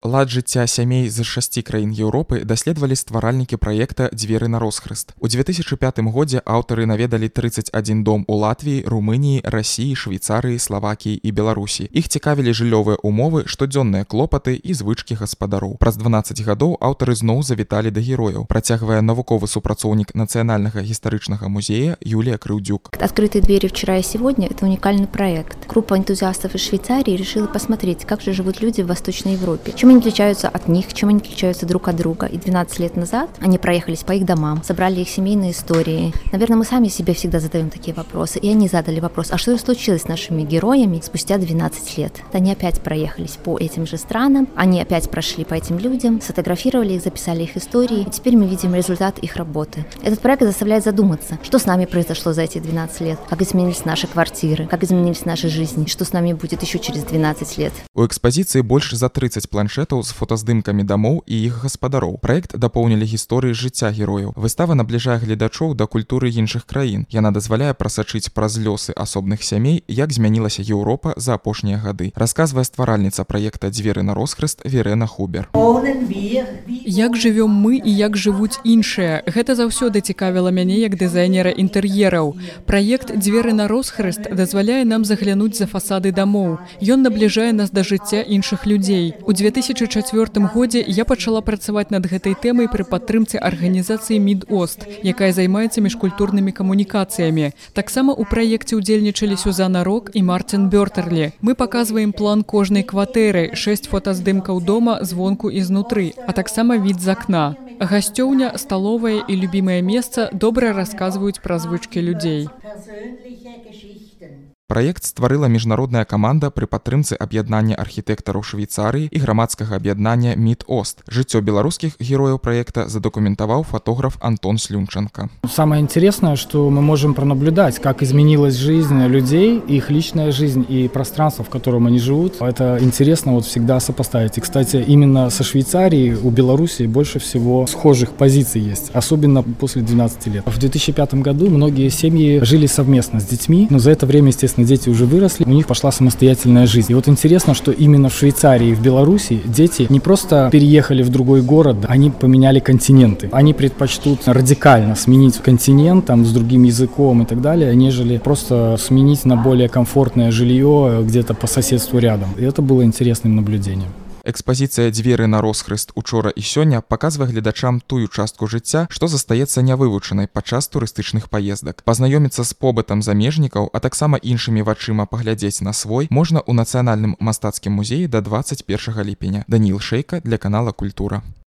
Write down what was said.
Лад жыцця сямей з 6 краін Еўропы даследавалі стваральнікі праекта «Дзверы на росхрыст». У 2005 годзе аўтары наведалі 31 дом у Латвіі, Румыніі, Расіі, Швейцарыі, Славакіі і Беларусі. Іх цікавілі жыллёвыя умовы, штодзённыя клопаты і звычкі гаспадароў. Праз 12 гадоў аўтары зноў завіталі да герояў, працягвае навуковы супрацоўнік Нацыянальнага гістарычнага музея Юлія Крыўдзюк. «Открытые двери вчера и сегодня» — это уникальный проект. Группа энтузиастов из Швейцарии решила посмотреть, как же живут люди в Восточной Европе. Чем они отличаются от них, чем они отличаются друг от друга. И 12 лет назад они проехались по их домам, собрали их семейные истории. Наверное, мы сами себе всегда задаем такие вопросы. И они задали вопрос, а что случилось с нашими героями спустя 12 лет? Они опять проехались по этим же странам, они опять прошли по этим людям, сфотографировали их, записали их истории. И теперь мы видим результат их работы. Этот проект заставляет задуматься, что с нами произошло за эти 12 лет, как изменились наши квартиры, как изменились наши жизни, что с нами будет еще через 12 лет. У экспазіцыі больш за 30 планшетаў з фотаздымкамі дамоў і іх гаспадароў. Праект дапоўнілі гісторыі жыцця герояў. Выстава набліжае гледачоў да культуры іншых краін. Яна дазваляе прасачыць праз лёсы асобных сямей, як змянілася Еўропа за апошнія гады. Расказвае стваральніца праекта «Дзверы на росхрыст» Верена Хубер. Як жывём мы і як жывуць іншыя. Гэта заўсёды цікавіла мяне як дызайнера інтэр'ераў. Праект «Дзверы на росхрыст» дазваляе нам заглянуць за фасады дамоў. Ён набліжае нас да жыцця іншых людзей. У 2004 годзе я пачала працаваць над гэтай тэмай пры падтрымцы арганізацыі «Мід-Ост», якая займаецца міжкультурнымі камунікацыямі. Таксама ў праекце ўдзельнічалі Сюзанна Рок і Мартин Бёртерлі. Мы паказваем план кожнай кватэры, 6 фотаздымкаў дома звонку і знутры, а таксама від з акна. Гасцёўня, сталовая і любімае месца добра расказваюць пра звычкі людзей. Праект стварыла міжнародная каманда пры падтрымцы аб'яднання архітэктараў Швейцарыі і грамадскага аб'яднання «Мід-Ост». Жыццё беларускіх герояў праекта задокументаваў фотограф Антон Слюнченко. Самое интересное, что мы можем пронаблюдать, как изменилась жизнь людей, их личная жизнь и пространство, в котором они живут. Это интересно вот всегда сопоставить. И, кстати, именно со Швейцарией у Беларуси больше всего схожих позиций есть, особенно после 12 лет. В 2005 году многие семьи жили совместно с детьми, но за это время, естественно, дети уже выросли, у них пошла самостоятельная жизнь. И вот интересно, что именно в Швейцарии и в Беларуси дети не просто переехали в другой город, они поменяли континенты. Они предпочтут радикально сменить континент там, с другим языком и так далее, нежели просто сменить на более комфортное жилье где-то по соседству рядом. И это было интересным наблюдением. Экспазіцыя «Дзверы на росхрыст» учора і сёння паказвае гледачам тую частку жыцця, што застаецца нявывучанай падчас турыстычных паездак. Пазнаёміцца з побытам замежнікаў, а таксама іншымі вачыма паглядзець на свой можна ў Нацыянальным мастацкім музеі да 21 ліпеня. Даніл Шэйка для канала «Культура».